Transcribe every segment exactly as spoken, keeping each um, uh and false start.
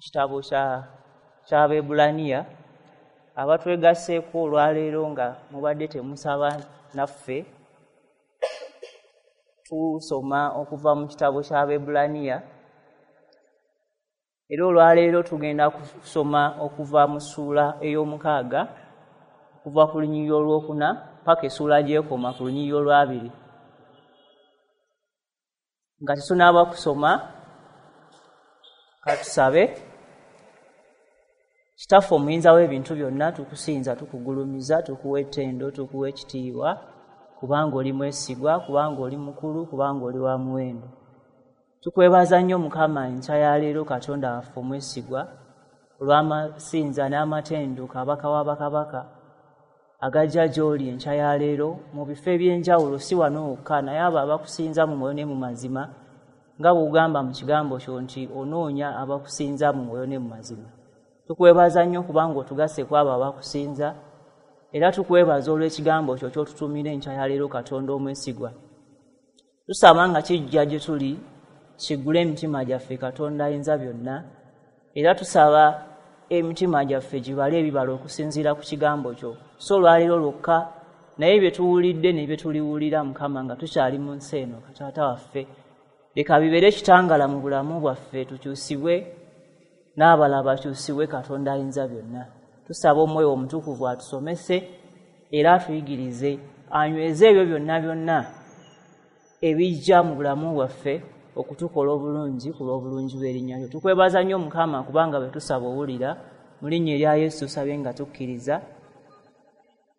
Kitabo kya ky'Abaebbulaniya. Abatwegasseeko olwaleero nga mubadde temusaba naffe, tusoma okuva mu kitabo ky'Abaebbulaniya, era olwaleero tugenda kusoma okuva mu ssuula ey'omukaaga okuva ku lunyiriri olwokuna paka essuula gy'ekoma ku lunyiriri olwabiri. Nga tetunaaba kusoma, katusabe. Kitaffe omuyinza w'ebintu byonna, tukusinza, tukugulumiza, tukuwa ettendo, tukuwa ekitiibwa, kubanga oli mwesigwa, kubanga oli mukulu, kubanga oli wa muwendo. Tukwebaza nnyo Mukama enkya ya leero, Katonda waffe omwesigwa, olw'amasinza n'amatendo Kabaka wa bakabaka agajja gy'oli enkya ya leero mu bifo eby'enjawulo, si wano wokka, naye abo abakusinza mu mwoyo ne mu mazima, nga bw'ogamba mu kigambo kyo nti onoonya abakusinza mu mwoyo ne mu mazima. Tukwebaza nnyo kubanga otugasse ku abo abakusinza, era tukwebaza olw'ekigambo kyo ky'otutumira enkya ya leero, Katonda omwesigwa. Tusaba nga kijja gye tuli kiggule emitima gyaffe, Katonda ayinza byonna, era tusaba emitima gyaffe gibale ebibala okusinziira ku kigambo kyo, so olwaleero lwokka, naye bye tuwulidde ne bye tuliwulira Mukama nga tukyali mu nsi eno. Taata waffe, leka bibeere ekitangala mu bulamu bwaffe, tukyusibwe n'abalala bakyusibwe, Katonda ayinza byonna. Tusaba Omwoyo Omutukuvu atusomese era atuyigirize, anyweze ebyo byonna byonna ebijja mu bulamu bwaffe okutukola obulungi ku lw'obulungi bw'erinnya lyo. Tukwebaza nnyo Mukama kubanga bwe tusaba owulira. Mu linnya erya Yesu tusabye nga tukkiriza,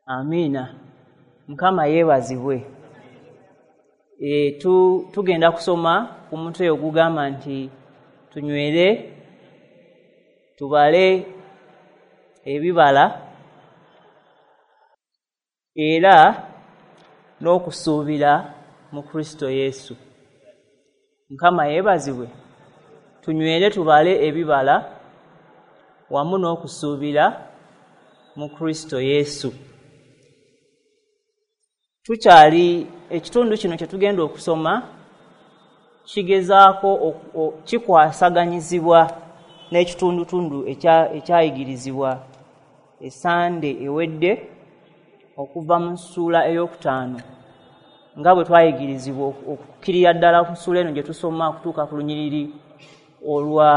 amiina. Mukama yeebazibwe. E, tu, tugenda kusoma ku mutwe ogugamba nti tunywere, tubale ebibala era n'okusuubira mu Kristo Yesu. Mukama yeebazibwe. Tunywere, tubale ebibala wamu n'okusuubira mu Kristo Yesu. Tukyali ekitundu kino kye tugenda okusoma kigezaako kikwasaganyizibwa n'ekitundutundu ekyayigirizibwa esande ewedde okuva mu ssuula ey'okutaano, nga bwe twayigirizibwa okukkirira ddala ku ssuula eno gye tusoma okutuuka ku lunyiriri olwa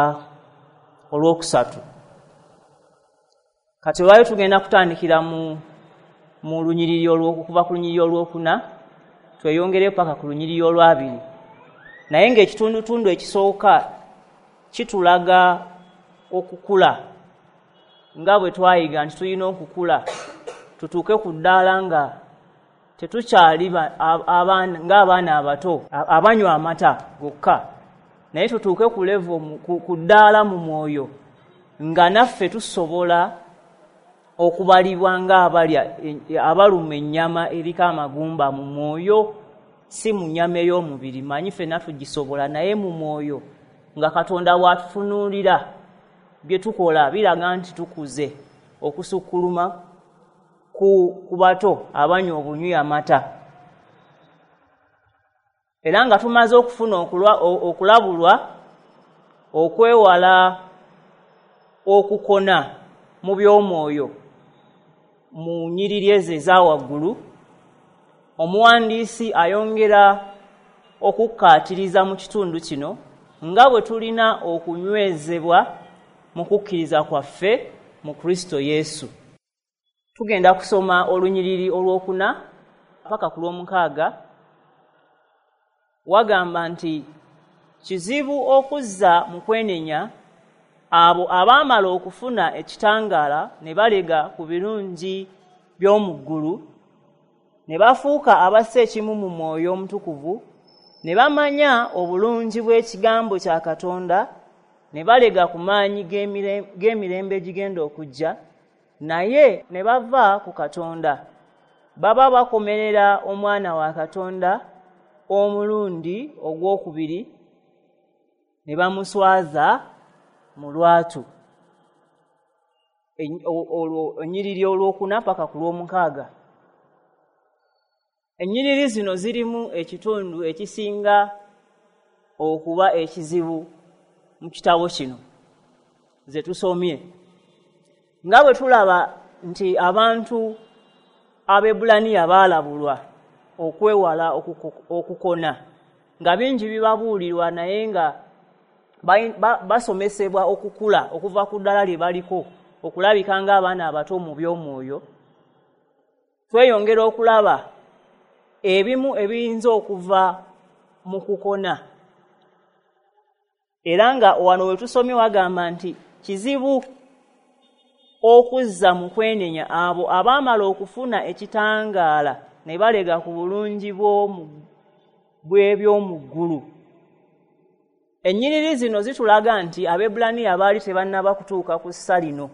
olwokusatu. Kati olwaleero tugenda kutandikira mu mu lunyiriri olw'okuva ku lunyiriri olwokuna tweyongereyo paka ku lunyiriri olwabiri, naye ng'ekitundutundu ekisooka kitulaga okukula, nga bwe twayiga nti tulina okukula tutuuke ku ddaala nga tetukyali ng'abaana abato abanywa amata gokka, naye tutuuke ku level ku ddaala mu mwoyo nga naffe tusobola okubalibwa ng'abalya abaluma ennyama eriko amagumba mu mwoyo, si mu nnyama ey'omubiri. Manyi ffenna tugisobola, naye mu mwoyo nga Katonda bw'atutunuulira bye tukola biraga nti tukuze okusukkuluma ku, ku bato abanywa obunywi amata. Era nga tumaze okufuna okulabulwa okwewala okukona mu by'omwoyo mu nnyiriri ezo eza waggulu, omuwandiisi ayongera okukkaatiriza mu kitundu kino nga bwe tulina okunywezebwa mu kukkiriza kwaffe mu Kristo Yesu. Tugenda kusoma olunyiriri olwokuna paka ku lwomukaaga. Wagamba nti kizibu okuzza mu kwenenya abo abaamala okufuna ekitangaala ne balega ku birungi by'omu ggulu, ne bafuuka abassa ekimu mu Mwoyo Omutukuvu, ne bamanya obulungi bw'ekigambo kya Katonda, ne balega ku maanyi g'emirembe egigenda okujja, naye ne bava ku Katonda. Baba bakomerera Omwana wa Katonda omulundi ogwokubiri ne bamuswaza mu lwatu. Ennyiriri olwokuna paka ku lwomukaaga. Ennyiriri zino zirimu ekitundu ekisinga okuba ekizibu mu kitabo kino. ze tusomye. Nga bwe tulaba nti abantu Abaebbulaniya baalabulwa okwewala okukona, nga bingi bibabuulirwa naye nga basomesebwa okukula okuva ku ddala lye baliko okulabika ng'abaana abato mu by'omwoyo. Tweyongera okulaba ebimu ebiyinza okuva mu kukona, era nga wano we tusomye wagamba nti kizibu okuzza mu kwenenya abo abaamala okufuna ekitangaala ne balega ku bulungi bw'ebyomu ggulu. Ennyiriri zino zitulaga nti Abaebbulaniya baali tebannaba kutuuka ku ssa lino,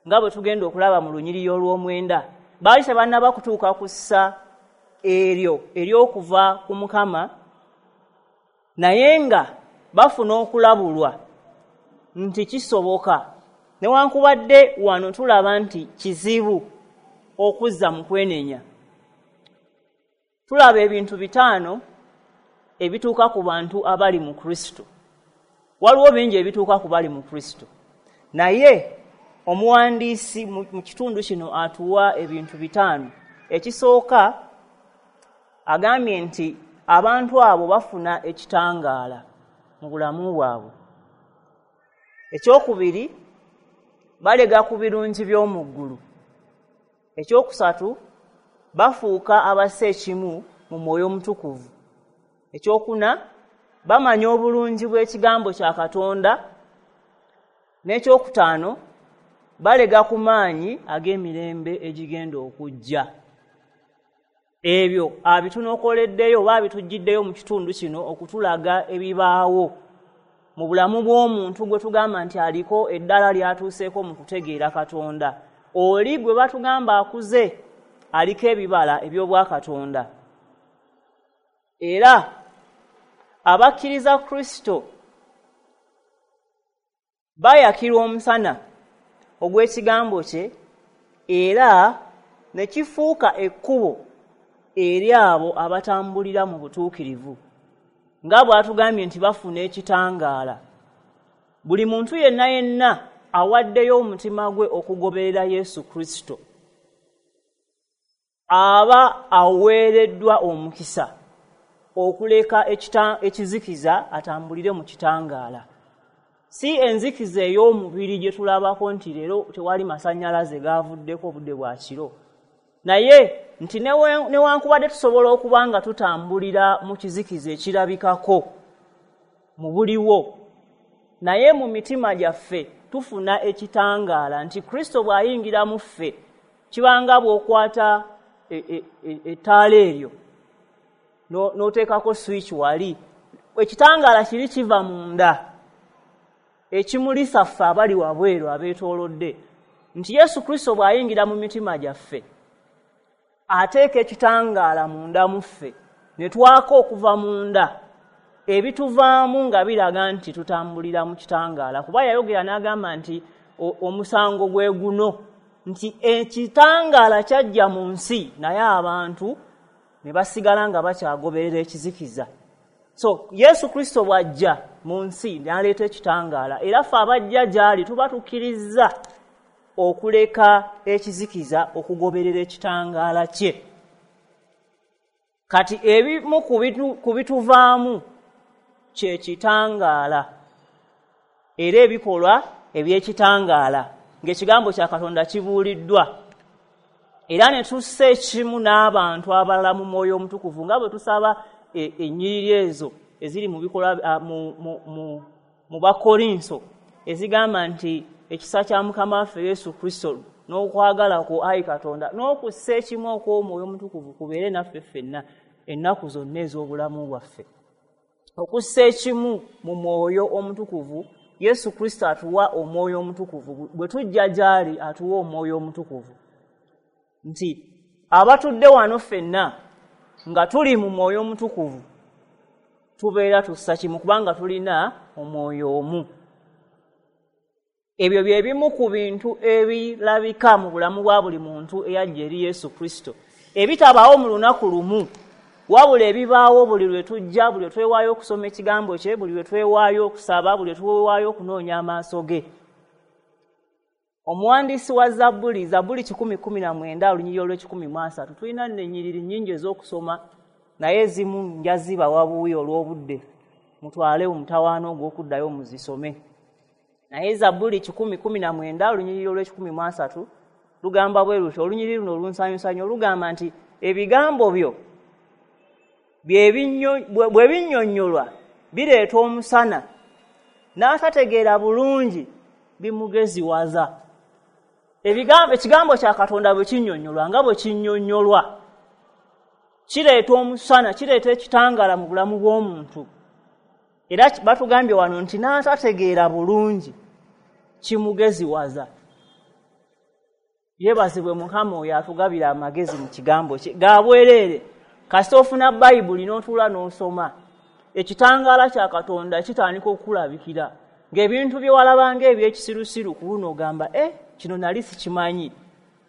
nga bwe tugenda okulaba mu lunyiriri olw'omwenda. Baali tebannaba kutuuka ku ssa eryo ery'okuva ku Mukama, naye nga bafuna okulabulwa nti kisoboka. Newankubadde wano tulaba nti kizibu okuzza mu kwenenya. Tulaba ebintu bitaano ebituuka ku bantu abali mu Kristo. Waliwo bingi ebituuka ku bali mu Kristo, naye omuwandiisi mu kitundu kino atuwa ebintu bitaano. Ekisooka, agambye nti abantu abo bafuna ekitangaala mu bulamu bwabwe. Ekyokubiri, balega ku birungi by'omu ggulu. Ekyokusatu, bafuuka abassa ekimu mu mwoyo omutukuvu. Ekyokuna, bamanya obulungi bw'ekigambo kya Katonda. N'ekyokutaano, balega ku maanyi ag'emirembe egigenda okujja. Ebyo abitunokoleddeyo oba abitujjiddeyo mu kitundu kino okutulaga ebibaawo mu bulamu bw'omuntu gwe tugamba nti aliko eddala lyatuuseeko mu kutegeera Katonda. Oli gwe batugamba akuze aliko ebibala eby'obwakatonda. Era abakkiriza Kristo bayakirwa omusana ogw'ekigambo kye, era ne kifuuka ekkubo eri abo abatambulira mu butuukirivu, nga bw'atugambye nti bafuna ekitangaala. Buli muntu yenna yenna awaddeyo omutima gwe okugoberera Yesu Kristo aba aweereddwa omukisa okuleka ekizikiza atambulire mu kitangaala. Si enzikiza ey'omubiri gye tulabako nti leero tewali masannyalaze gaavuddeko obudde bwa kiro, naye nti newankubadde tusobola okuba nga tutambulira mu kizikiza ekirabikako mu buliwo, naye mu mitima gyaffe tufuna ekitangaala nti Kristo bw'ayingira mu ffe kibanga bw'okwata ettaala eryo n'oteekako switch wali, ekitangaala kiri kiva munda ekimulisa ffe abali wabweru abeetoolodde, nti Yesu Kristo bw'ayingira mu mitima gyaffe ateeka ekitangaala munda mu ffe ne twaka okuva munda, ebituvaamu nga biraga nti tutambulira mu kitangaala. Kuba yayogera n'agamba nti omusango gwe guno, nti ekitangaala kyajja mu nsi naye abantu ne basigala nga bakyagoberera ekizikiza. So Yesu Kristo bw'ajja mu nsi n'aleeta ekitangaala, era ffe abajja gy'ali tuba tukkirizza okuleka ekizikiza okugoberera ekitangaala kye. Kati ebimu ku bituvaamu kye kitangaala, era ebikolwa eby'ekitangaala ng'ekigambo kya Katonda kibuuliddwa, era ne tussa ekimu n'abantu abalala mu mwoyo omutukuvu, nga bwe tusaba ennyiriri ezo eziri mu bikolwa mu Bakorinso ezigamba nti ekisa kya Mukama waffe Yesu Kristo n'okwagala kwo ayi Katonda n'okussa ekimu okw'omwoyo omutukuvu kubeere naffe ffenna ennaku zonna ez'obulamu bwaffe. Okussa ekimu mu mwoyo omutukuvu, Yesu Kristo atuwa omwoyo omutukuvu. Bwe tujja gy'ali atuwa omwoyo omutukuvu, nti abatudde wano ffenna nga tuli mu mwoyo omutukuvu tubeera tussa kimu kubanga tulina omwoyo omu. Ebyo bye bimu ku bintu ebirabika mu bulamu bwa buli muntu eyajja eri Yesu Kristo, ebitabaawo mu lunaku lumu, wabula ebibaawo buli lwe tujja, buli lwe twewaayo okusoma ekigambo kye, buli lwe twewaayo okusaba, buli lwe twewaayo okunoonya amaaso ge. Omuwandiisi wa Zabbuli, Zabbuli kikumi kkumi na mwenda olunyiriri olw'ekikumi mu asatu, tulina nno ennyiriri nnyingi ez'okusoma, naye ezimu nja zibawa buwi olw'obudde, mutwale omutawaana ogw'okuddayo muzisome. Naye Zabbuli kikumi kkumi na mwenda olunyiriri olw'ekikumi mu asatu lugamba bwe luti, olunyiriri luno olunsanyusa nnyo, lugamba nti ebigambo byo bwe binnyonnyolwa bireeta omusana, n'atategeera bulungi bimugeziwaza. Ebigambo, ekigambo kya Katonda bwe kinnyonnyolwa nga bwe kinnyonnyolwa kireeta omusana, kireeta ekitangaala mu bulamu bw'omuntu. Era batugambye wano nti n'atategeera bulungi kimugeziwaza. Yeebazibwe Mukama oyo atugabira amagezi mu kigambo kye ga bwereere. Kasita ofuna Bayibuli n'otuula n'osoma, ekitangaala kya Katonda kitandika okukulabikira, ng'ebintu bye walabanga eby'ekisirusiru ku luno ogamba, eh, kino nali sikimanyi.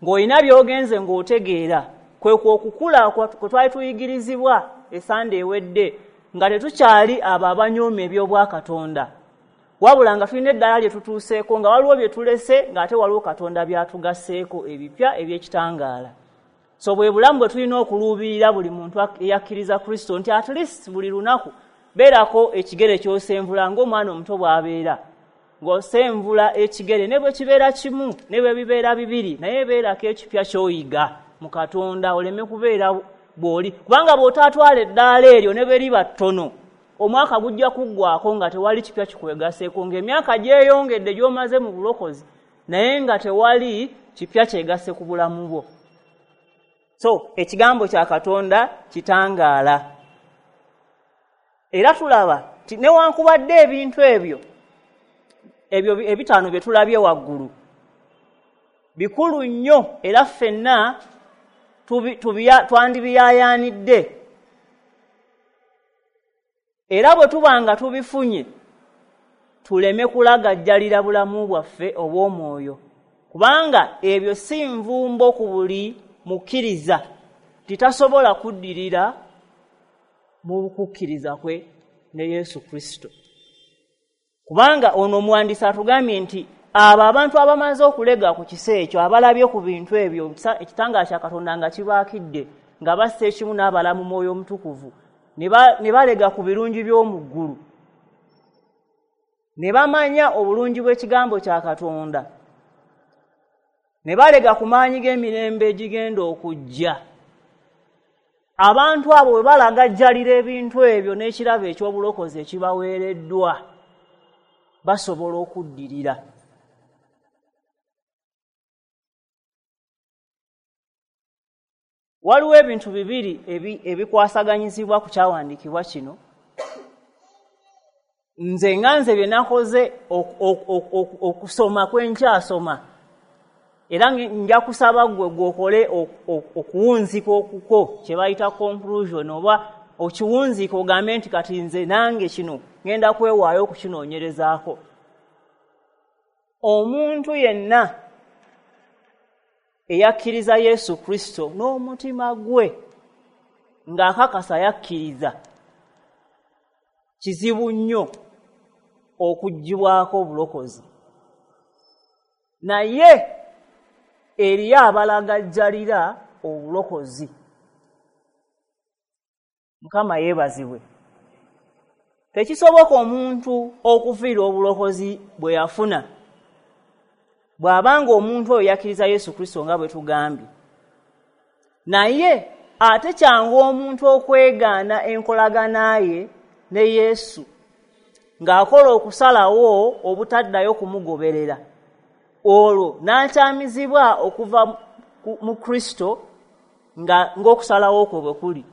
Ng'olina by'ogenze ng'otegeera, kwe kwo okukula kwe twali tuyigirizibwa esande ewedde, nga tetukyali abo abanyooma eby'obwakatonda, wabula nga tulina eddala lye tutuuseeko, nga waliwo bye tulese, ng'ate waliwo Katonda by'atugasseeko ebipya eby'ekitangaala. So bwe bulamu bwe tulina okuluubirira buli muntu eyakkiriza Kristo, nti at least buli lunaku beerako ekigere ky'osenvula ng'omwana omuto bw'abeera, ng'osenvula ekigere ne bwe kibeera kimu ne bwe bibeera bibiri, naye beerako ekipya ky'oyiga mu Katonda, oleme kubeera bw'oli, kubanga bw'otaatwala eddaala eryo ne bwe liba ttono, omwaka gujja kuggwako nga tewali kipya kikwegaseeko, ng'emyaka gyeyongedde gy'omaze mu bulokozi, naye nga tewali kipya kyegasse ku bulamu bwo. So ekigambo kya Katonda kitangaala. Era tulaba nti newankubadde ebintu ebyo ebyo ebitaano bye tulabye waggulu bikulu nnyo, era ffenna twandibiyaayaanidde. Era bwe tuba nga tubifunye, tuleme kulagajjalira bulamu bwaffe obw'omwoyo, kubanga ebyo si nvumbo ku buli mukkiriza, titasobola kuddirira mu kukkiriza kwe ne Yesu Kristo. Kubanga ono omuwandiisi atugambye nti abo abantu abamaze okulega ku kisa ekyo, abalabye ku bintu ebyo, ekitangaala kya Katonda nga kibaakidde, nga bassa ekimu n'abala mu Mwoyo Omutukuvu, ne balega ku birungi by'omu ggulu, ne bamanya obulungi bw'ekigambo kya Katonda, ne balega ku maanyi g'emirembe egigenda okujja. Abantu abo bwe balagajjalira ebintu ebyo n'ekirabo eky'obulokozi ekibaweereddwa, basobola okuddirira. Waliwo ebintu bibiri ebikwasaganyizibwa ku kyawandiikibwa kino. Nze nga nze bye nakoze okusoma kwe nkyasoma, era nja kusaba ggwe gw'okole okuwunzika okukwo kye bayita conclusion, oba okiwunzika ogambe nti kati nze nange kino ngenda kwewaayo okukinoonyerezaako. Omuntu yenna eyakkiriza Yesu Kristo n'omutima gwe ng'akakasa yakkiriza, kizibu nnyo okuggyibwako obulokozi. Naye eriyo abalagajjalira obulokozi. Mukama yeebazibwe. Tekisoboka omuntu okufiira obulokozi bwe yafuna bw'abanga omuntu oyo yakkiriza Yesu Kristo nga bwe tugambye. Naye ate kyangu omuntu okwegaana enkolagana ye ne Yesu ng'akola okusalawo obutaddayo kumugoberera, olwo n'akyamizibwa okuva mu Kristo nga ng'okusalawo kwe bwe kuli.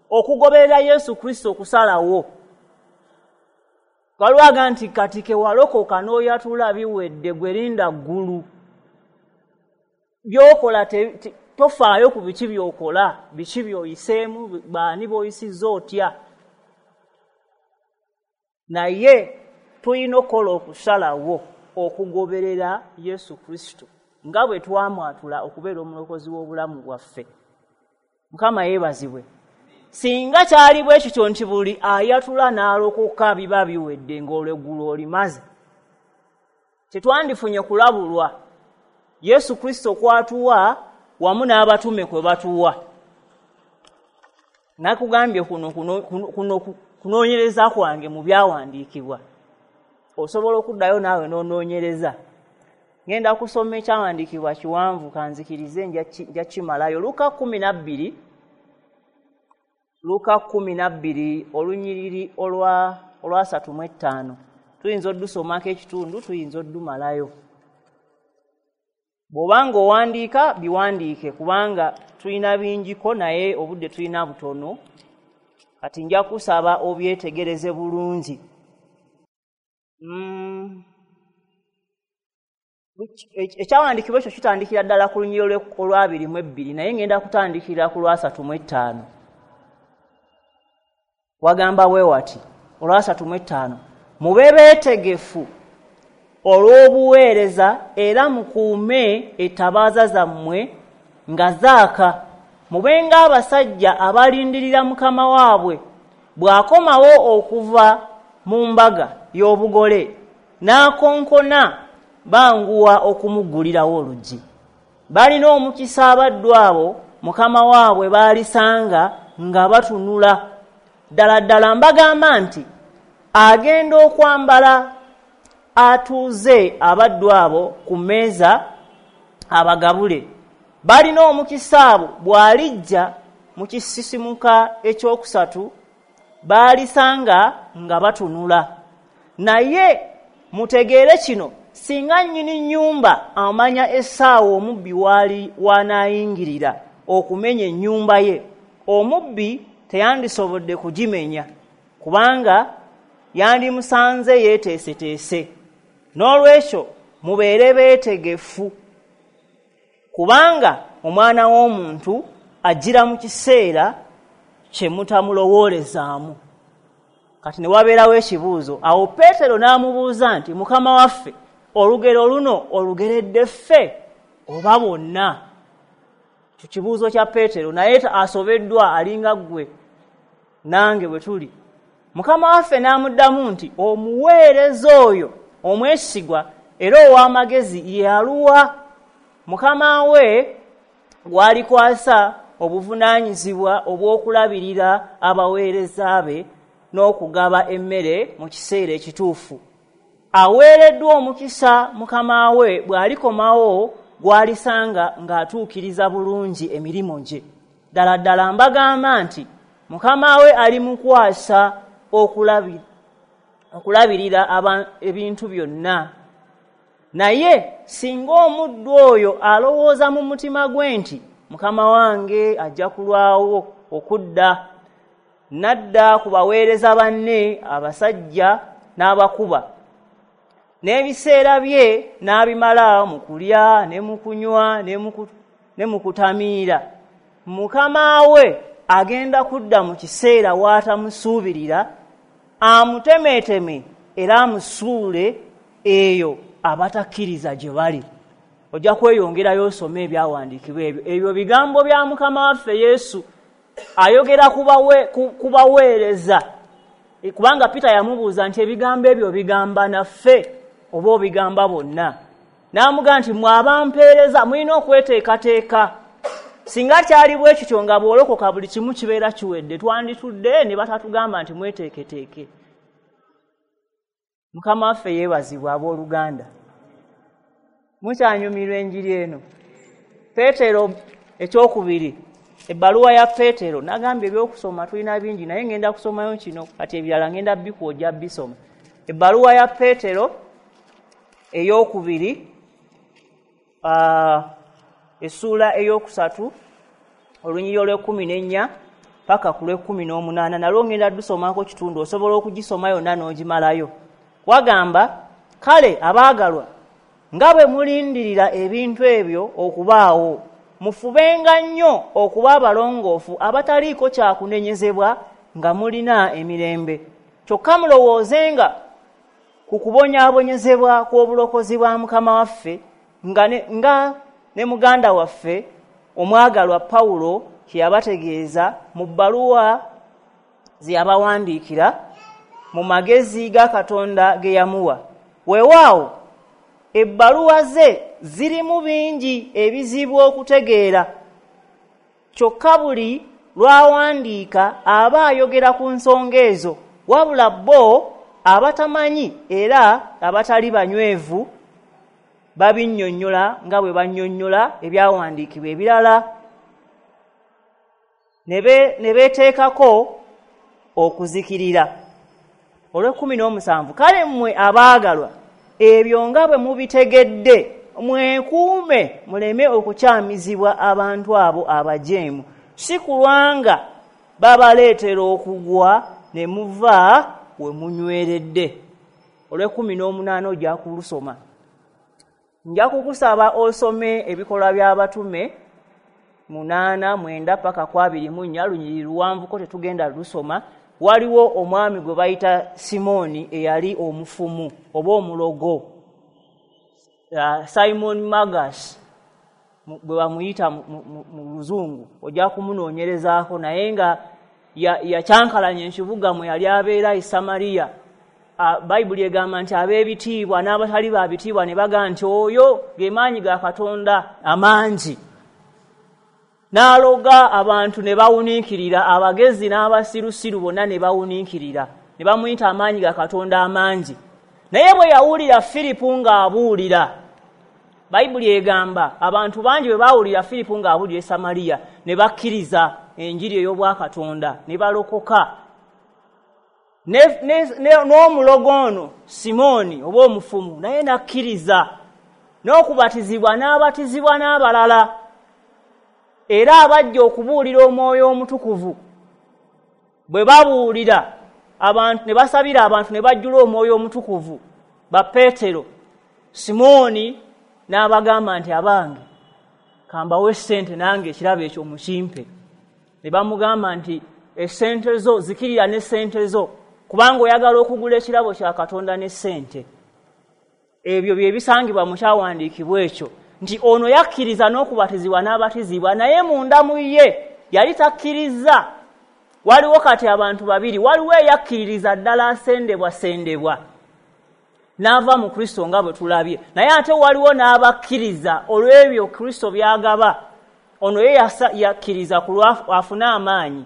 Okugoberera Yesu Kristo okusalawo. Waliwo nti kati ke walokoka n'oyatula biwedde, gwe linda ggulu. By'okola tofaayo ku biki by'okola, biki by'oyiseemu, baani b'oyisizza otya. Naye tulina okukola okusalawo okugoberera Yesu Kristo nga bwe twamwatula okubeera omulokozi w'obulamu bwaffe. Mukama yeebazibwe. Singa kyali bwe kityo nti buli ayatula n'alokoka biba biwedde ng'olweggulo olimaze, tetwandifunye kulabulwa Yesu Kristo kwatuwa wamu n'abatume kwe batuwa. Nakugambye kuno kuno kuno kunoonyereza kwange mu byawandiikibwa. Osobola okuddayo naawe n'onoonyereza. Ngenda kusoma ekyawandiikibwa kiwanvu, kanzikirize nja kimalayo. Luka kkumi na bbiri, Luka kkumi na bbiri olunyiriri olwa olwasatu mu ettaano. Tuyinza oddusomako ekitundu, tuyinza oddumalayo. Bw'obanga owandiika biwandiike, kubanga tulina bingiko naye obudde tulina butono. Kati nja kusaba obyetegereze bulungi. Mm. Ekyawandiikibwa ekyo kitandikira ddala ku lunyiriri olwabiri mu ebbiri, naye ngenda kutandikira ku lwasatu mu ettaano. Wagamba bwe wati, olwasatu mu ettaano: mube beetegefu olw'obuweereza era mukuume ettabaaza zammwe nga zaaka. Mube ng'abasajja abalindirira mukama waabwe bw'akomawo okuva mu mbaga y'obugole n'akonkona, banguwa okumuggulirawo oluggi. Balina omukisa abaddu abo mukama waabwe baalisanga nga batunula. Ddala ddala mbagamba nti agenda okwambala atuuze abaddu abo ku mmeeza abagabule. Balina omukisa abo bw'alijja mu kisisimuka ekyokusatu baalisanga nga batunula. Naye mutegeere kino, singa nnyini nnyumba amanya essaawa omubbi waali w'anaayingirira okumenya ennyumba ye, omubbi teyandisobodde kugimenya, kubanga yandimusanze yeeteeseteese. N'olwekyo mubeere beetegefu, kubanga Omwana w'Omuntu ajjira mu kiseera kye mutamulowoolezaamu. Kati ne wabeerawo ekibuuzo. Awo Peetero n'amubuuza nti, Mukama waffe, olugero luno olugeredde ffe oba bonna? Ekyo kibuuzo kya Peetero, naye asobeddwa, alinga ggwe nange bwe tuli. Mukama waffe n'amuddamu nti, omuweereza oyo omwesigwa era ow'amagezi ye aluwa mukama we gw'alikwasa obuvunaanyizibwa obw'okulabirira abaweereza be n'okugaba emmere mu kiseera ekituufu. Aweereddwa omukisa mukama we bw'alikomawo gw'alisanga ng'atuukiriza bulungi emirimu gye. Ddala ddala mbagamba nti mukama we alimukwasa okulabirira ebintu byonna. Naye singa omuddu oyo alowooza mu mutima gwe nti mukama wange ajja kulwawo okudda, n'adda ku baweereza banne abasajja n'abakuba, n'ebiseera bye n'abimala mu kulya ne mu kunywa ne mu kutamiira, mukama we agenda kudda mu kiseera w'atamusuubirira, amutemeeteme era amusuule eyo abatakkiriza gye bali. Ojja kweyongerayo osome ebyawandiikibwa ebyo. Ebyo bigambo bya Mukama waffe Yesu ayogera ku baweereza, kubanga Peter yamubuuza nti ebigambo ebyo bigamba naffe oba obigamba bonna? N'amugamba nti mwe abampeereza mulina okweteekateeka. Singa kyali bwe kityo nga bw'olokoka buli kimu kibeera kiwedde, twanditudde ne batatugamba nti mweteeketeeke. Mukama waffe yeebazibwa abooluganda. Mukyanyumirwa enjiri eno. Peetero ekyokubiri, ebbaluwa ya Peetero, nagambye ebyokusoma tulina bingi naye ngenda kusomayo kino, kati ebirala ngenda bikuwojja bisoma. Ebbaluwa ya Peetero eyokubiri, essuula eyokusatu, olunyiriri olw'ekkumi n'ennya paka ku lw'ekkumi n'omunaana, nalwo ngenda ddusomako kitundu, osobola okugisoma yonna n'ogimalayo. Wagamba, kale abaagalwa, nga bwe mulindirira ebintu ebyo okubaawo, mufubenga nnyo okuba abalongoofu abataliiko kyakunenyezebwa nga mulina emirembe. Kyokka mulowoozenga ku kubonyaabonyezebwa kw'obulokozi bwa Mukama waffe, nga ne, nga ne muganda waffe omwagalwa Pawulo kye yabategeeza mu bbaluwa ze yabawandiikira mu magezi ga Katonda ge yamuwa. Weewaawo ebbaluwa ze zirimu bingi ebizibu okutegeera. Kyokka buli lw'awandiika aba ayogera ku nsonga ezo, wabula bo abatamanyi era abatali banywevu babinnyonnyola nga bwe bannyonnyola ebyawandiikibwa ebirala, ne beeteekako okuzikirira. Olw'ekkumi n'omusanvu, kale mmwe abaagalwa, ebyo nga bwe mubitegedde mwekuume muleme okukyamizibwa abantu abo abajeemu, si kulwanga babaleetera okugwa ne muva we munyweredde. Olw'ekkumi n'omunaana ojja kulusoma. Nja kukusaba osome Ebikolwa by'Abatume munaana mwenda paka ku abiri mu nnya, lunyiriri luwanvuko tetugenda lusoma. Waliwo omwami gwe bayita Simooni eyali omufumu oba omulogo, uh, Simon Magus bwe bamuyita mu Luzungu, ojja kumunoonyerezaako, naye nga yakyankalanya ekibuga mwe yali abeera e Samariya. Bayibuli egamba nti ab'ebitiibwa n'abatali ba bitiibwa ne bagamba nti oyo ge maanyi ga Katonda amangi. N'aloga abantu ne bawuniikirira, abagezi n'abasirusiru bonna ne bawuniikirira, ne bamuyita amaanyi ga Katonda amangi. Naye bwe yawulira Firipu ng'abuulira, Bayibuli egamba abantu bangi bwe baawulira Firipu ng'abuulira e Samariya ne bakkiriza enjiri ey'obwakatonda ne balokoka. N'omulogo ono Simooni oba omufumu naye n'akkiriza, n'okubatizibwa n'abatizibwa n'abalala, era abajja okubuulira Omwoyo Omutukuvu. Bwe babuulira abantu ne basabira abantu ne bajjula Omwoyo Omutukuvu, ba Peetero, Simooni n'abagamba nti abange kambawe essente nange ekirabo ekyo mukimpe. Ne bamugamba nti essente zo zikirira n'essente zo, kubanga oyagala okugula ekirabo kya Katonda n'essente. Ebyo bye bisangibwa mu kyawandiikibwa ekyo, nti ono yakkiriza n'okubatizibwa n'abatizibwa, naye munda mu ye yali takkiriza. Waliwo kati abantu babiri, waliwo eyakkiririza ddala asendebwa sendebwa n'ava mu Kristo nga bwe tulabye, naye ate waliwo n'abakkiriza olw'ebyo Kristo by'agaba. Ono ye yakkiriza ku lwa afune amaanyi.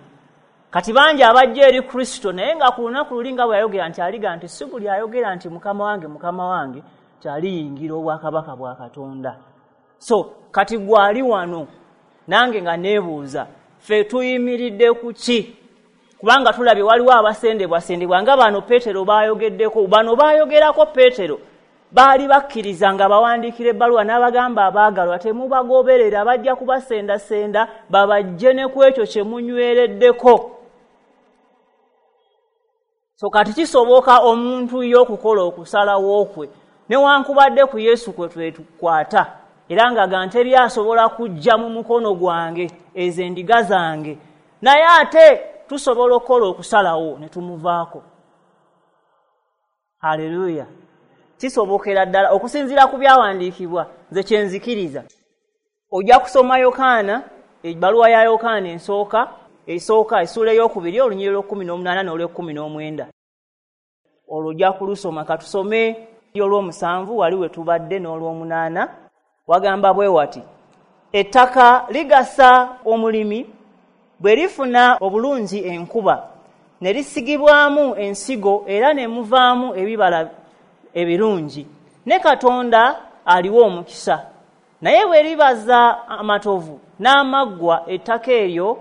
Kati bangi abajja eri Kristo, naye nga ku lunaku luli nga bwe yayogera nti aliga nti si buli ayogera nti Mukama wange, Mukama wange, nti aliyingira obwakabaka bwa Katonda. So kati gwali wano nange nga neebuuza, ffe tuyimiridde ku ki? Kubanga tulabye waliwo abasendebwasendebwa nga bano Peetero baayogeddeko, bano baayogerako Peetero baali bakkiriza nga bawandiikira ebbaluwa n'abagamba abaagalwa temubagoberera, bajja kubasendasenda babajje ne ku ekyo kye munywereddeko. So kati kisoboka omuntu ye okukola okusalawo kwe newankubadde ku Yesu kwe twetukwata, era nga ga teri asobola kujja mu mukono gwange ezo endiga zange, naye ate tusobola okukola okusalawo ne tumuvaako. Haleluya! Kisobokera ddala okusinziira ku byawandiikibwa nze kye nzikiriza. Ojja kusoma Yokaana, ebbaluwa ya Yokaana ensooka esooka essuula ey'okubiri olunyiriri lw'ekkumi n'omunaana n'olw'ekkumi n'omwenda, olwo ojja kulusoma. Katusome olw'omusanvu wali we tubadde n'olw'omunaana. Wagamba bwe wati, ettaka ligasa omulimi bwe lifuna obulungi enkuba ne lisigibwamu ensigo era ne muvaamu ebibala ebirungi, ne Katonda aliwo omukisa. Naye bwe libaza amatovu n'amaggwa, ettaka eryo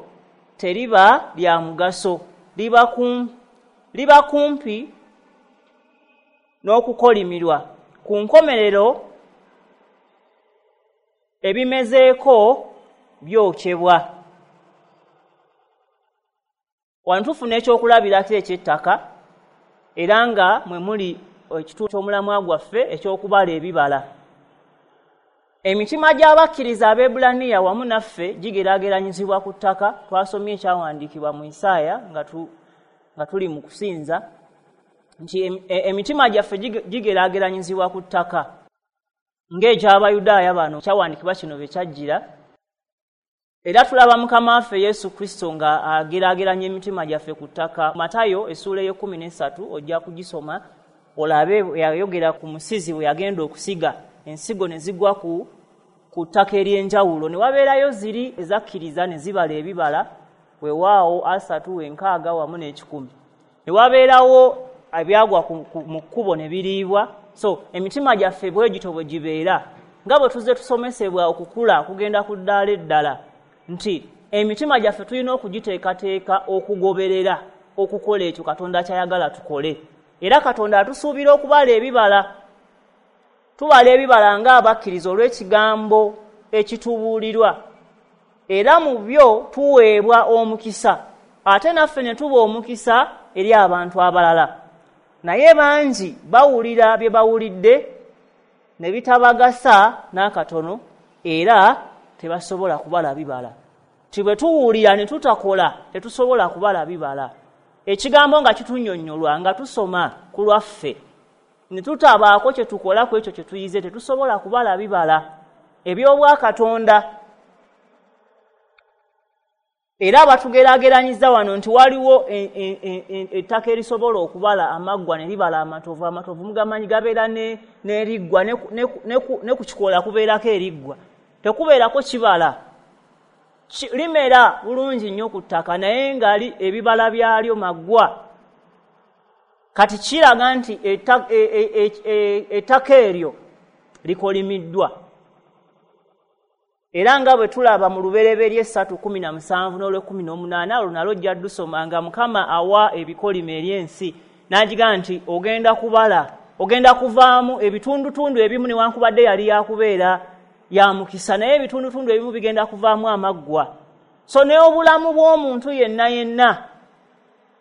teriba lya mugaso, liba kum, liba kumpi n'okukolimirwa. Ku nkomerero ebimezeeko byokyebwa. Wano tufuna ekyokulabirako eky'ettaka, era nga mwe muli ekitundu ky'omulamwa gwaffe eky'okubala ebibala. Emitima gy'abakkiriza Abeebulaniya wamu naffe gigeraageranyizibwa ku ttaka. Twasomye ekyawandiikibwa mu Isaaya nga, tu, nga tuli mu kusinza nti emitima gyaffe gigeraageranyizibwa ku ttaka ng'eky'Abayudaaya bano kyawandiikibwa kino bwe kyajjira. Era tulaba Mukama waffe Yesu Kristo nga ageraageranya emitima gyaffe ku ttaka. Matayo essuula ey'ekkumi n'essatu ojja kugisoma olabe yayogera ku musizi bwe yagenda okusiga. Ensigo ne zigwa ku ku ttaka ery'enjawulo, ne wabeerayo ziri ezakkiriza ne zibala ebibala, weewaawo asatu, enkaaga wamu n'ekikumi. Ne wabeerawo ebyagwa mu kkubo ne biriibwa. So emitima gyaffe bwe gityo bwe gibeera, nga bwe tuzze tusomesebwa okukula kugenda ku ddaala eddala, nti emitima gyaffe tulina okugiteekateeka okugoberera okukola ekyo Katonda ky'ayagala tukole. Era Katonda atusuubira okubala ebibala. Tubala ebibala ng'abakkiriza olw'ekigambo ekitubuulirwa, era mu byo tuweebwa omukisa, ate naffe ne tuba omukisa eri abantu abalala. Naye bangi bawulira bye bawulidde ne bitabagasa n'akatono, era tebasobola kubala bibala. Ti bwe tuwulira ne tutakola tetusobola kubala bibala. Ekigambo nga kitunnyonnyolwa nga tusoma ku lwaffe ne tutabaako kye tukola ku ekyo kye tuyize, tetusobola kubala bibala eby'obwakatonda. Era batugeraageranyiza wano nti waliwo ettaka erisobola okubala amaggwa ne libala amatovu. Amatovu mugamanyi gabeera n'eriggwa, ne ku kikoola kubeerako eriggwa, tekubeerako kibala. Limera bulungi nnyo ku ttaka, naye nga ebibala byalyo maggwa. Kati kiraga nti ettaka eryo likolimiddwa. Era nga bwe tulaba mu Lubereberye ssatu kkumi na musanvu n'olw'ekkumi n'omunaana, olwo nalwo ojja ddusoma nga Mukama awa ebikolimo eri ensi, n'agiga nti ogenda kubala, ogenda kuvaamu ebitundutundu ebimu, newankubadde yali yakubeera ya mukisa, naye ebitundutundu ebimu bigenda kuvaamu amaggwa. So n'obulamu bw'omuntu yenna yenna,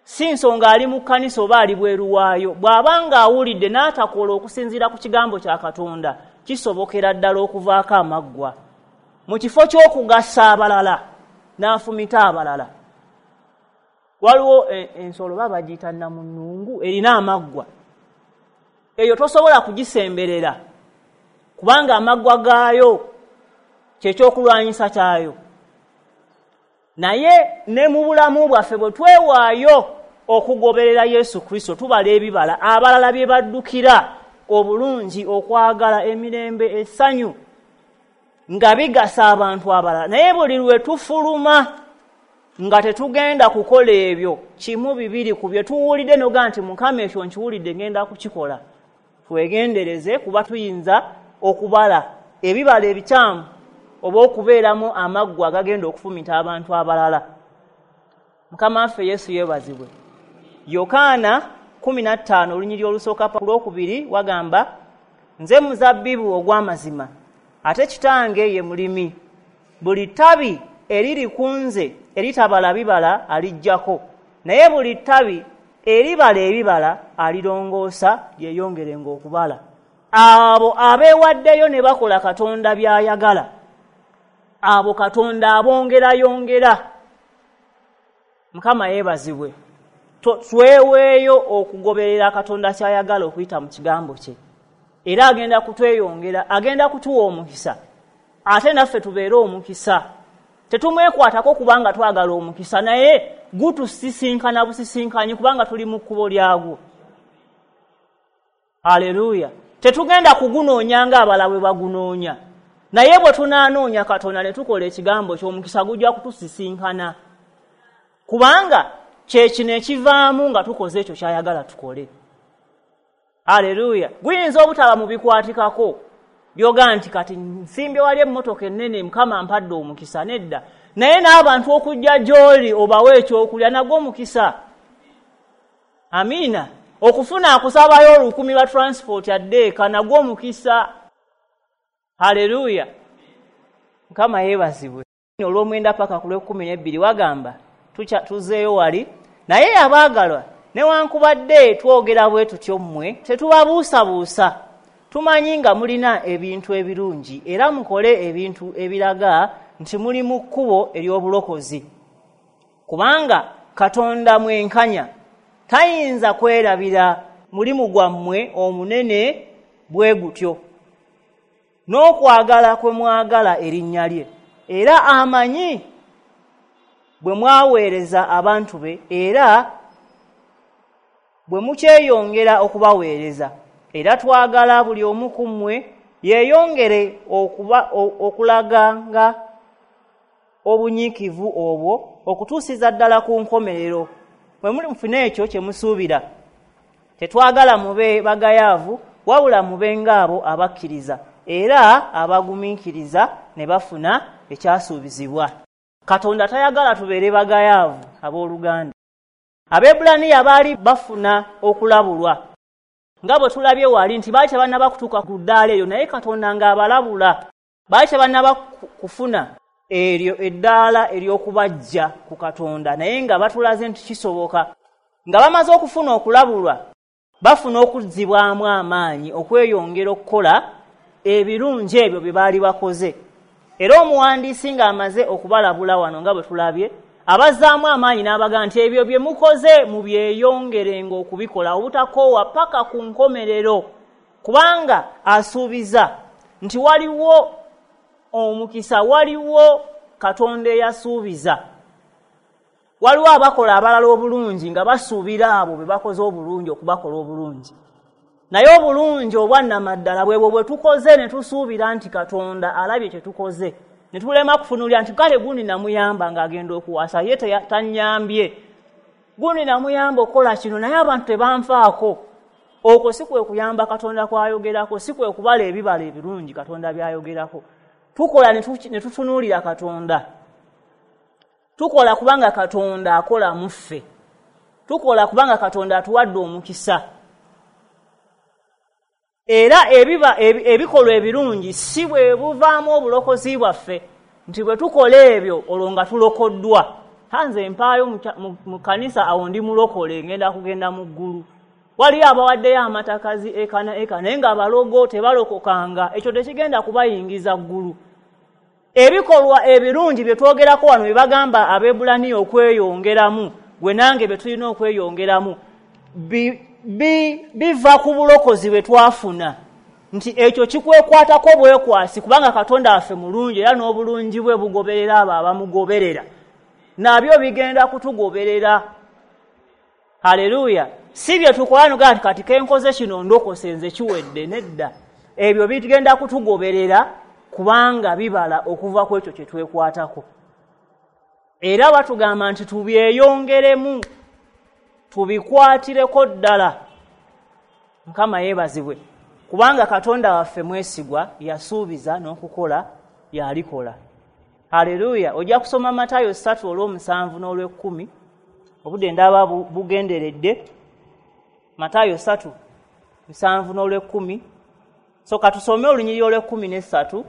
si nsonga ali mu kkanisa oba ali bweru waayo, bw'aba ng'awulidde n'atakola okusinziira ku kigambo kya Katonda, kisobokera ddala okuvaako amaggwa. Mu kifo ky'okugasa abalala n'afumita abalala. Waliwo ensolo baba bagiyita namunungu, erina amaggwa. Eyo tosobola kugisemberera kubanga amaggwa gaayo kyekyokulwanyisa kyayo. Naye ne mu bulamu bwaffe bwe twewaayo okugoberera Yesu Kristo, tubala ebibala abalala bye baddukira, obulungi, okwagala, emirembe, essanyu, nga bigasa abantu abalala. Naye buli lwe tufuluma nga tetugenda kukola ebyo, kimu bibiri ku bye tuwulidde n'oga nti Mukama ekyo nkiwulidde ngenda kukikola, twegendereze kuba tuyinza okubala ebibala ebikyamu oba okubeeramu amaggwa agagenda okufumita abantu abalala. Mukama waffe Yesu yeebazibwe. Yokaana kkumi na ttaano olunyiriri olusooka ku lwokubiri wagamba, nze muzabbibu ogw'amazima, ate kitange ye mulimi. Buli ttabi eriri ku nze eritabala bibala aliggyako, naye buli ttabi eribala ebibala alirongoosa lyeyongerenga okubala. Abo abeewaddeyo ne bakola Katonda by'ayagala, abo Katonda abongerayongera. Mukama yeebazibwe. Tweweeyo okugoberera Katonda ky'ayagala okuyita mu kigambo kye, era agenda kutweyongera, agenda kutuwa omukisa, ate naffe tubeere omukisa. Tetumwekwatako kubanga twagala omukisa, naye gutusisinkana busisinkanyi kubanga tuli mu kkubo lyagwo. Haleluya. Tetugenda kugunoonya ng'abalala bwe bagunoonya, naye bwe tunaanoonya Katonda ne tukola ekigambo ky'omukisa gujja kutusisinkana, kubanga kye kino ekivaamu nga tukoze ekyo ky'ayagala tukole. Haleluya. Guyinza obutaba mu bikwatikako byoga nti kati nsimbye wali emmotoka ennene, Mukama mpadde omukisa, nedda. Naye n'abantu okujja gy'oli obawe ekyokulya nagwo omukisa. Amiina. Okufuna akusabayo olukumi lwa transport adde eka nagwo omukisa. Haleluya. Mukama yeebazibwe. Olw'omwenda paka ku lw'ekkumi n'ebbiri wagamba tuzeeyo wali, naye abaagalwa newankubadde twogera bwe tutyo mmwe tetubabuusabuusa, tumanyi nga mulina ebintu ebirungi, era mukole ebintu ebiraga nti muli mu kkubo ery'obulokozi. Kubanga Katonda mwenkanya, tayinza kwerabira mulimu gwammwe omunene bwe gutyo, n'okwagala kwe mwagala erinnya lye, era amanyi bwe mwaweereza abantu be, era bwe mukyeyongera okubaweereza. Era twagala buli omu ku mmwe Yeeyongere okuba okulaganga obunyiikivu obwo okutuusiza ddala ku nkomerero. Bwe muli mufune ekyo kye musuubira. Tetwagala mube bagayaavu, wabula mube ng'abo abakkiriza era abagumiikiriza ne bafuna ekyasuubizibwa. Katonda tayagala tubeere bagayaavu abooluganda. Abeebulaniya baali bafuna okulabulwa nga bwe tulabye wali nti baali tebannaba kutuuka ku ddaala eryo, naye Katonda ng'abalabula. Baali tebannaba kufuna eryo eddaala ery'okubajja ku Katonda, naye nga batulaze nti kisoboka. Nga bamaze okufuna okulabulwa, bafuna okuzzibwamu amaanyi okweyongera okukola ebirungi ebyo bye baali bakoze. Era omuwandiisi ng'amaze okubalabula wano nga bwe tulabye, abazzaamu amaanyi n'abagamba nti ebyo bye mukoze mubyeyongerenga okubikola obutakoowa paka ku nkomerero, kubanga asuubiza nti waliwo omukisa, waliwo Katonda eyasuubiza. Waliwo abakola abalala obulungi nga basuubira abo be bakoze obulungi okubakola obulungi, naye obulungi obwannamaddala bwebwo bwe tukoze ne tusuubira nti Katonda alabye kye tukoze, ne tulema kufunulira nti kale gundi namuyamba ng'agenda okuwasa, ye tannyambye, gundi namuyamba okukola kino naye abantu tebanfaako. Okwo si kwe kuyamba Katonda kw'ayogerako, si kwe kubala ebibala ebirungi Katonda by'ayogerako. Tukola ne tutunuulira Katonda. Tukola kubanga Katonda akola mu ffe. Tukola kubanga Katonda atuwadde omukisa. Era ebiba ebikolwa ebirungi si bwe buvaamu obulokozi bwaffe nti bwe tukola ebyo olwo nga tulokoddwa. Nze mpaayo mu kkanisa awo ndi mulokole ngenda kugenda mu ggulu. Waliyo abawaddeyo amatakazi eka na eka naye ng'abalogo tebalokokanga, ekyo tekigenda kubayingiza ggulu. Ebikolwa ebirungi bye twogerako wano bye bagamba Abeebulaniya okweyongeramu, gwe nange bye tulina okweyongeramu, biva ku bulokozi bwe twafuna, nti ekyo kikwekwatako bwekwasi kubanga Katonda waffe mulungi era n'obulungi bwe bugoberera abo abamugoberera, nabyo bigenda kutugoberera. Haleluya! Si bye tukola nga kati kenkoze kino ndokose nze kiwedde, nedda. Ebyo bigenda kutugoberera kubanga bibala okuva ku ekyo kye twekwatako. Era batugamba nti tubyeyongeremu, tubikwatireko ddala. Mukama yeebazibwe, kubanga Katonda waffe mwesigwa, yasuubiza n'okukola yalikola. Haleluya! Ojja kusoma Matayo ssatu olw'omusanvu n'olw'ekkumi, obudde ndaba bugenderedde. Matayo ssatu musanvu n'olw'ekkumi. So katusome olunyiriri olw'ekkumi n'essatu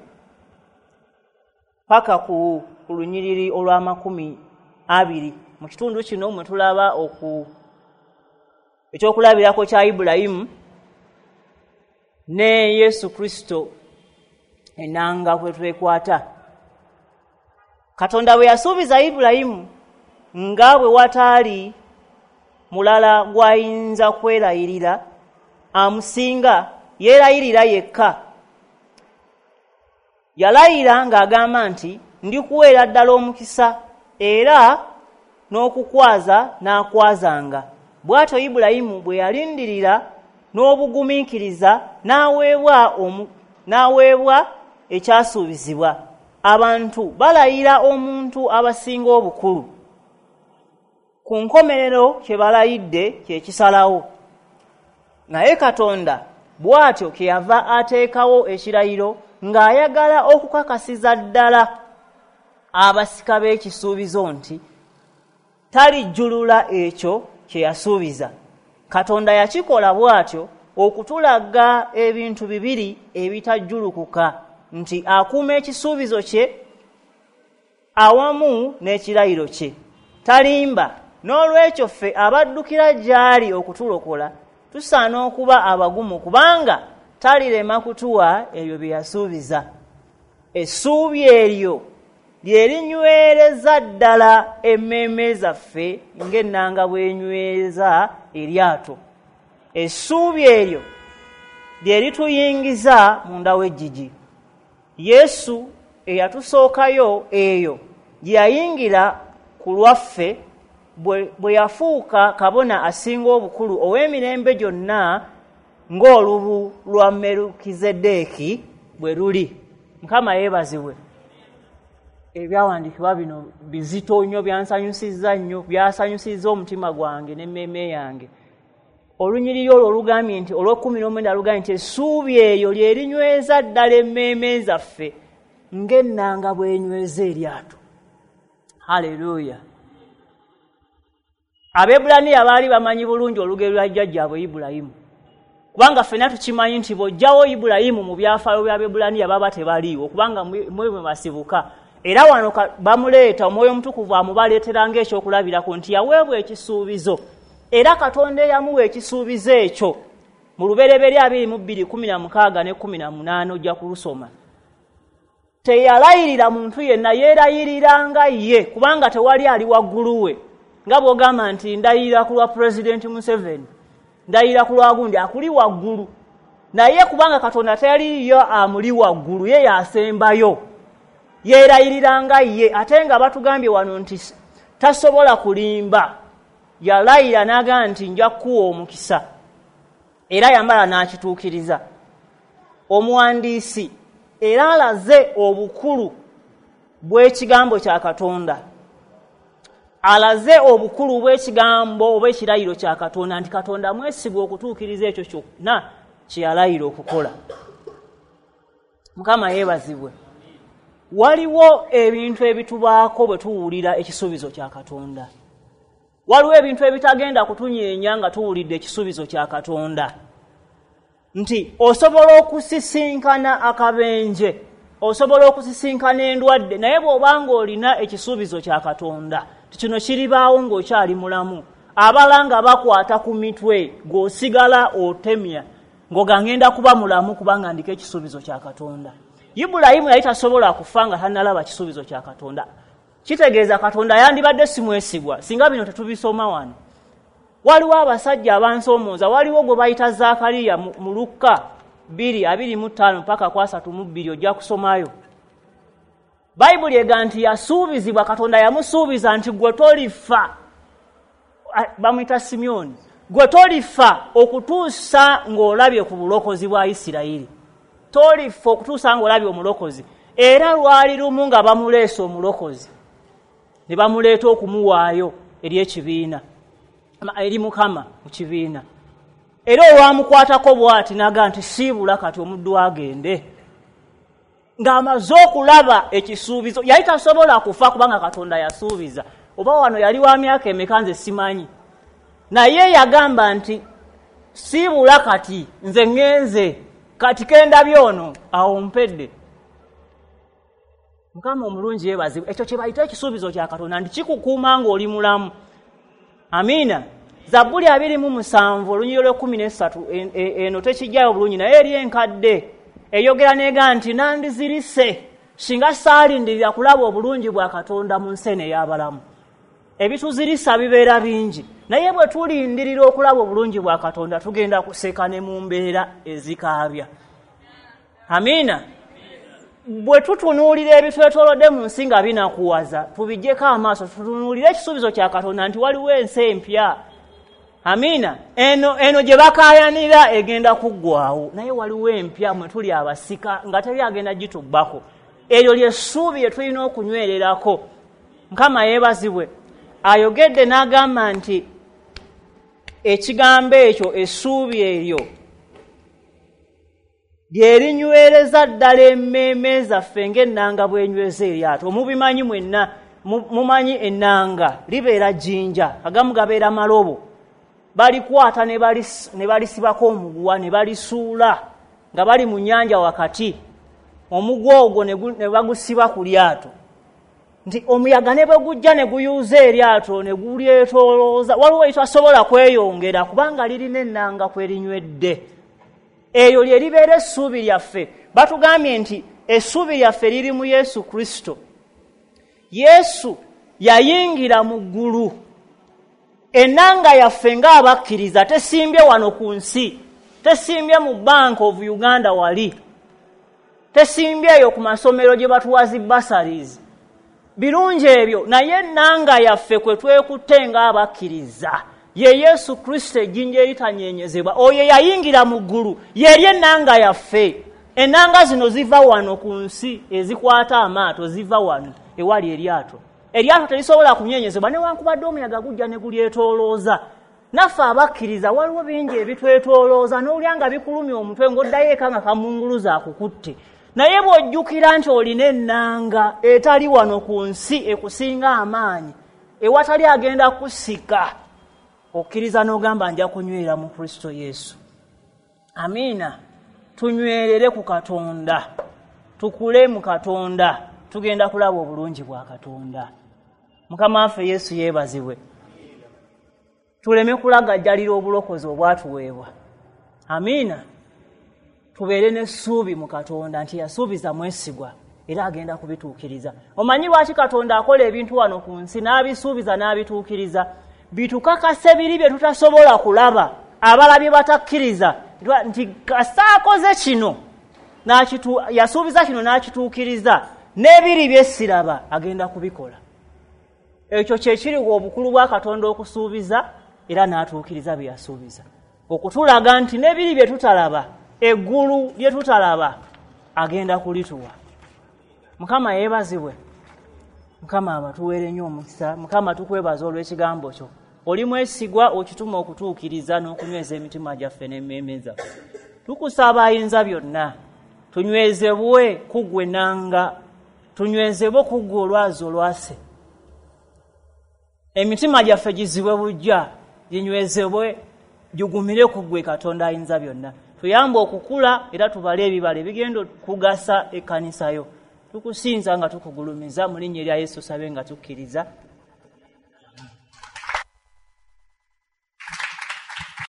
paka ku lunyiriri olw'amakumi abiri. Mu kitundu kino mwe tulaba oku ekyokulabirako kya Ibulayimu ne Yesu Kristo ennanga kwe twekwata. Katonda bwe yasuubiza Ibulayimu nga bwe wataali mulala gw'ayinza kwerayirira amusinga, yeerayirira yekka. Yalayira ng'agamba nti ndikuweera ddala omukisa era n'okukwaza n'akwazanga. Bw'atyo Ibulayimu bwe yalindirira n'obugumiikiriza n'aweebwa n'aweebwa ekyasuubizibwa. Abantu balayira omuntu abasinga obukulu, ku nkomerero kye balayidde kye kisalawo. Naye Katonda bw'atyo kyeyava ateekawo ekirayiro ng'ayagala okukakasiza ddala abasika b'ekisuubizo nti talijjulula ekyo kye yasuubiza. Katonda yakikola bw'atyo okutulaga ebintu bibiri ebitajjulukuka, nti akuuma ekisuubizo kye awamu n'ekirayiro kye, talimba. N'olwekyo ffe abaddukira gy'ali okutulokola tusaana okuba abagumu, kubanga talirema kutuwa ebyo bye yasuubiza. Essuubi eryo lye linywereza ddala emmeeme zaffe ng'ennanga bw'enyweza eryato. Essuubi eryo lye lituyingiza munda w'eggigi. Yesu eyatusookayo eyo gye yayingira ku lwaffe bwe yafuuka kabona asinga obukulu ow'emirembe gyonna ng'olubu lwa Merukizeddeeki. bwe luli. Mukama yeebazibwe. Ebyawandiikibwa bino bizito nnyo, byansanyusizza nnyo, byasanyusizza omutima gwange n'emmeeme yange. Olunyiriri olwo olugambye nti olw'ekkumi n'omwenda lugambye nti essuubi eryo lye linyweza ddala emmeeme zaffe ng'ennanga bw'enyweza eryato. Haleluya. Abeebulaniya baali bamanyi bulungi olugero lwa jjajjaabwe Ibulayimu, kubanga ffenna tukimanyi nti bw'oggyawo Ibulayimu mu byafaayo by'Abeebulaniya baba tebaliiwo, kubanga mwe mwe basibuka. Era wano bamuleeta, Omwoyo Omutukuvu amubaleetera ng'ekyokulabirako nti yaweebwa ekisuubizo, era Katonda eyamuwa ekisuubizo ekyo mu Lubereberye abiri mu bbiri kkumi na mukaaga ne kkumi na munaana ojja kulusoma. Teyalayirira muntu yenna, yeerayiriranga ye, kubanga tewali ali waggulu we. Nga bw'ogamba nti ndayirira ku lwa Pulezidenti Museveni, ndayirira ku lwa gundi, akuli waggulu. Naye kubanga Katonda teyaliyo amuli waggulu, ye yasembayo, yeerayiriranga ye. Ate nga batugambye wano nti tasobola kulimba, yalayira n'agamba nti nja kukuwa omukisa, era yamala n'akituukiriza. Omuwandiisi era alaze obukulu bw'ekigambo kya Katonda, alaze obukulu bw'ekigambo oba ekirayiro kya Katonda, nti Katonda mwesigwa okutuukiriza ekyo kyonna kye yalayira okukola. Mukama yeebazibwe. Waliwo ebintu ebitubaako bwe tuwulira ekisuubizo kya Katonda. Waliwo ebintu ebitagenda kutunyeenya nga tuwulidde ekisuubizo kya Katonda. Nti osobola okusisinkana akabenje, osobola okusisinkana endwadde, naye bw'obanga olina ekisuubizo kya Katonda, kino kiribaawo ng'okyali mulamu. Abalanga bakwata ku mitwe, gw'osigala otemya ng'oga ngenda kuba mulamu kubanga ndiko ekisuubizo kya Katonda. Ibulayimu yali tasobola kufa nga tannalaba kisuubizo kya Katonda. Kitegeeza Katonda yandibadde si mwesigwa singa bino tetubisoma wano. Waliwo abasajja abansoomooza, waliwo gwe bayita Zaakaliya mu Lukka bbiri abiri mu ttaano mpaka ku asatu mu bbiri, ojja kusomayo. Bayibuli ega nti yasuubizibwa, Katonda yamusuubiza nti gwe tolifa, bamuyita Simyoni, gwe tolifa okutuusa ng'olabye ku bulokozi bwa Isirayiri. Tolifa okutuusa ng'olabye omulokozi. Era lwali lumu nga bamuleese omulokozi, ne bamuleeta okumuwaayo eri ekibiina, eri Mukama mu kibiina. Era olwamukwatako bw'ati n'agamba nti siibula kati omuddu agende. Ng'amaze okulaba ekisuubizo, yali tasobola kufa kubanga Katonda yasuubiza. Oba wano yali wa myaka emeka nze simanyi, naye yagamba nti siibula kati nze ŋŋenze, kati kendabye ono awo mpedde. Mukama omulungi yeebazibwe. Ekyo kye bayita ekisuubizo kya Katonda, nti kikukuuma ng'oli mulamu. Amiina. Zabbuli abiri mu musanvu olunyiriri lw'ekkumi n'essatu eno tekijjayo bulungi, naye eri enkadde eyogera n'egamba nti nandizirise singa saalindirira kulaba obulungi bwa Katonda mu nsi eno ey'abalamu. Ebituzirisa bibeera bingi, naye bwe tulindirira okulaba obulungi bwa Katonda tugenda kuseka ne mu mbeera ezikaabya. Amiina. Bwe tutunuulira ebitwetoolodde mu nsi nga binakuwaza, tubiggyeko amaaso, tutunuulire ekisuubizo kya Katonda nti waliwo ensi empya. Amiina. Eno eno gye bakaayanira egenda kuggwawo, naye waliwo empya mwe tuli abasika nga teri agenda gitubbako. Eryo ly'essuubi lye tulina okunywererako. Mukama yeebazibwe. Ayogedde n'agamba nti ekigambo ekyo, essuubi eryo lye linywereza ddala emmeeme zaffe ng'ennanga bw'enyweza eryato. Mubimanyi mwenna, mumanyi ennanga libeera jjinja, agamu gabeera malobo. Balikwata ne balisibako omuguwa ne balisuula nga bali mu nnyanja wakati. Omuguwa ogwo ne bagusiba ku lyato, nti omuyaga ne bwe gujja ne guyuuza eryato ne gulyetoolooza, waliwo ekitasobola kweyongera kubanga lirina ennanga kwe linywedde. Eryo lye libeera essuubi lyaffe. Batugambye nti essuubi lyaffe liri mu Yesu Kristo. Yesu yayingira mu ggulu. Ennanga yaffe ng'abakkiriza tesimbye wano ku nsi, tesimbye mu Bank of Uganda wali, tesimbye eyo ku masomero gye batuwa zi bursaries. Birungi ebyo, naye ennanga yaffe kwe twekutte ng'abakkiriza ye Yesu Kristo, ejjinja eritanyenyezebwa. Oyo yayingira mu ggulu, yeri ennanga yaffe. Ennanga zino ziva wano ku nsi, ezikwata amaato ziva wano ewali eryato. Eryato terisobola kunyenyezebwa newankubadde omuyaga gujja ne gulyetoolooza. Naffe abakkiriza waliwo bingi ebitwetoolooza n'olya nga bikulumya omutwe ng'oddayo eka nga kamunguluza akukutte. Naye bw'ojjukira nti olina ennanga etali wano ku nsi ekusinga amaanyi, ewatali agenda kusika, okkiriza n'ogamba nja kunywera mu Kristo Yesu. Amiina. Tunywerere ku Katonda, tukule mu Katonda, tugenda kulaba obulungi bwa Katonda. Mukama waffe Yesu yeebazibwe. Tuleme kulagajjalira obulokozi obwatuweebwa. Amiina. Tubeere n'essuubi mu Katonda nti yasuubiza mwesigwa era agenda kubituukiriza. Omanyi lwaki Katonda akola ebintu wano ku nsi n'abisuubiza n'abituukiriza? Bitukakase biri bye tutasobola kulaba, abalabye batakkiriza nti kasaakoze kino, yasuubiza kino n'akituukiriza, n'ebiri bye siraba agenda kubikola. Ekyo kye kiriwo obukulu bwa Katonda okusuubiza era n'atuukiriza bye yasuubiza, okutulaga nti n'ebiri bye tutalaba, eggulu lye tutalaba agenda kulituwa. Mukama yeebazibwe. Mukama abatuweere nnyo omukisa. Mukama tukwebaza olw'ekigambo kyo. Oli mwesigwa okituma okutuukiriza n'okunyweza emitima gyaffe n'emmeeme zaffe. Tukusaba ayinza byonna, tunywezebwe ku ggwe nanga, tunywezebwe ku ggwe olwazi olwase. Emitima gyaffe gizibwe buggya, ginywezebwe, gigumire ku ggwe Katonda ayinza byonna. Tuyambe okukula era tubale ebibala ebigenda okugasa ekkanisa yo. Tukusinza nga tukugulumiza mu linnya erya Yesu, sabe nga tukkiriza.